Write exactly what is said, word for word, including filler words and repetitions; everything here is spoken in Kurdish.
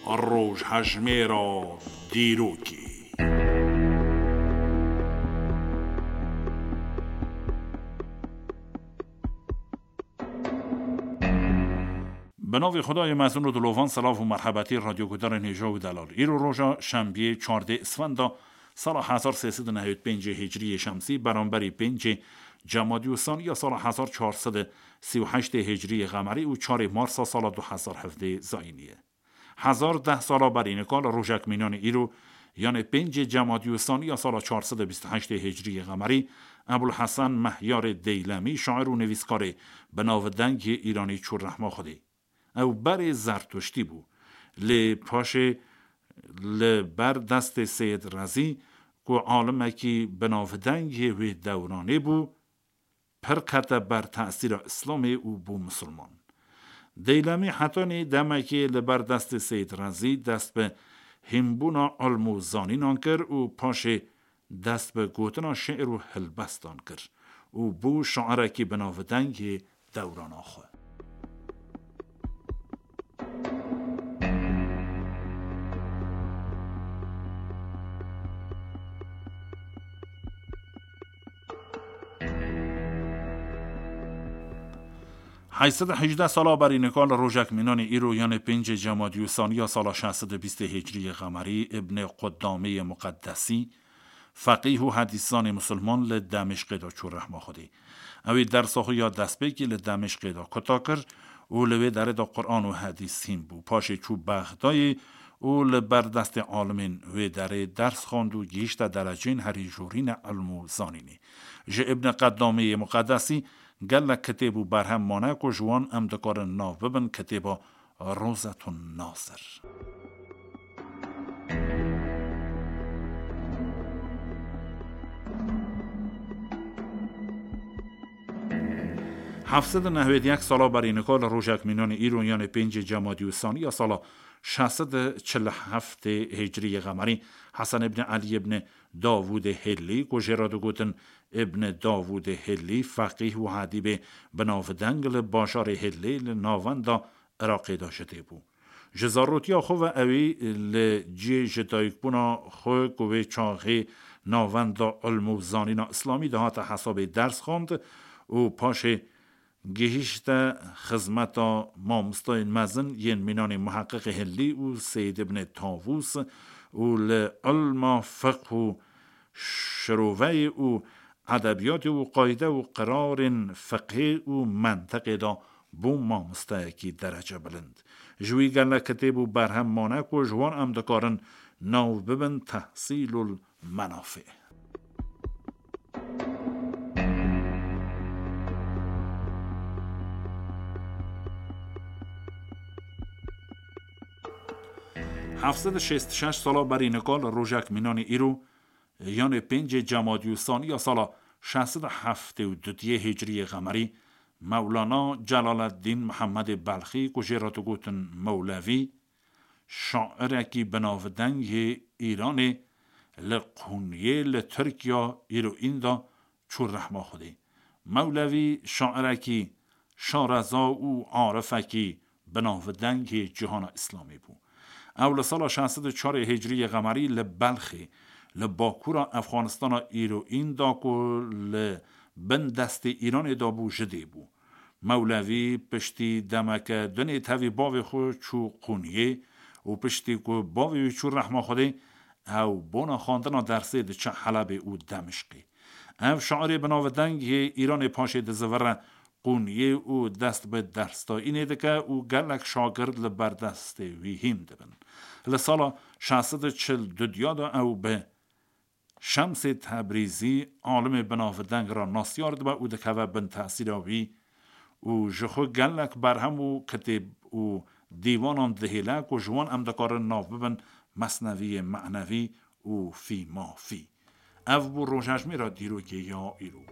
Rojhejmêra dîrokê. Bi navê Xwedayê mezin û dilovan, silav û merhebetî radyoguhdarên hêja û delal. Îro roja şembiyê çardê Isfenda sala hezar sê sed û nehewî pêncê Hicriyê Şemsî, beramberî pêncê Cemadî û Saniya sala hezar çar sed û sî û heştê Hicriyê Qemerî û çarê Marsa sala du hezar hevdê Zayînî ye. Hezar deh sala berî nika li rojek mînanê îro, yanê pêncê Cemadî û Saniya sala çar sed û bîst û heştê Hicriyê Qemerî, Ebul Hesen Mehyarê Deylemî, şair û nivîskarê bi navdeng yê Îranî çû rehma Xwedê. Ew berê Zertuştî bû. Lê paşê li ber destê Seyid Rezî, ku alimekî bi navdeng yê wê dewranê bû, pir kete ber tesîra Îslamê û bû misilman. Deylemî hetanî demekê li ber destê Seyid Rezî dest bi hînbûna ilm û zanînan kir û paşê dest bi gotina şi'r û hilbestan kir û bû şairekî bi navdeng yê dewrana xwe. Heyşt sed û hejdeh sala berî nika li rojek mînanê îro, yanê pêncê Cemadî û Saniya sala şeş sed û bîstê Hicriyê Qemerî, Îbnê Qudamê yê Muqeddesî, feqîh û hedîszanê misilman, li Demîşqê de çû rehma Xwedê. Ew ê dersa xwe ya destpêkî li Demîşqê de kuta kir û li wê derê de Quran û hedîs hîn bû. Paşê çû Bexdayê û li ber destê alimên wê derê ders xwend û gihîşte dereceyên herî jorîn ê ilm û zanînê. Ji Îbnê Qedamê yê Muqeddesî gelek kitêb û berhem mane ku ji wan em dikarin nav bibin kitêba Rozetun Nasir. Heft sed û nehwêd yek sala berî nika li rojek mînanê îro, yanê pêncê Cemadî û Saniya sala şeş sed û çil û heftê Hicriyê Qemerî, Hesen îbn Elî îbn Davûdê Hêlî, ku jê re digotin Îbn Davûdê Hêlî, feqîh û edîbê bi navdeng li bajarê Hêlê li navenda Iraqê de ji dê bû. Ji zarotiya xwe ve ewî li cihê ji dayikbûna xwe ku wê çaxê navenda ilm û zanîna îslamî dihate hesabê ders xwend û paşê gihîşte xizmeta mamostayên mezin yên mînanê Muheqqiqê Hillî û Seyîd Ibnê Tavûs û li ilma fiqh û şiroveyê û edebiyatê û qayde û qirarên fiqhê û mentiqê de bû mamosteyekî derece bilind. Ji wî gelek kitêb û berhem mane ku ji wan em dikarin nav bibin Tehsîlul Menafê. Heft sed û şêst û şeş sala berî nika li rojek mînanê îro, yanê pêncê Cemadî û Saniya sala şeş sed û heftê û duyê Hicriyê Qemerî, Mewlana Celaleddîn Mihemedê Belxî, ku jê re digotin Mewlevî, şairekî binavdeng yê Îranê, li Qûniyê li Tirkiya îro înda çû rehma Xwedê. Mewlevî şairekî şareza û arifekî binavdeng yê cîhana Îslamê bû. Ew li sala şeş sed û çar Hicriyê Qemerî li Belxê, li bakûra Efxanistana îro înda ku li bin destê Îranê de bû, ji dê bû. Mewlevî piştî demeke dinê tevî bavê xwe çû Qûniyê û piştî ku bavê wî çû rehma Xwedê, ew bona xwendina dersê diçe Helebê û Demişqê. Ev şairê binavdeng yê Îranê paşê dizivire Qûniyê û dest bi dersdayînê dike û gelek şagird li ber destê wî hîn dibin. Li sala şeş sed û çil û du de ew bi Şemsê Tebrîzî, alimê binavdeng re nasyar dibe û dikeve bin tesîra wî û ji xwe gelek berhem û kitêb û dîwanan dihêle ku ji wan em dikarin nav bibin Mesneviyê Menevî û fî ma fî. Ev bû rojejmêra dîrokê ya îro.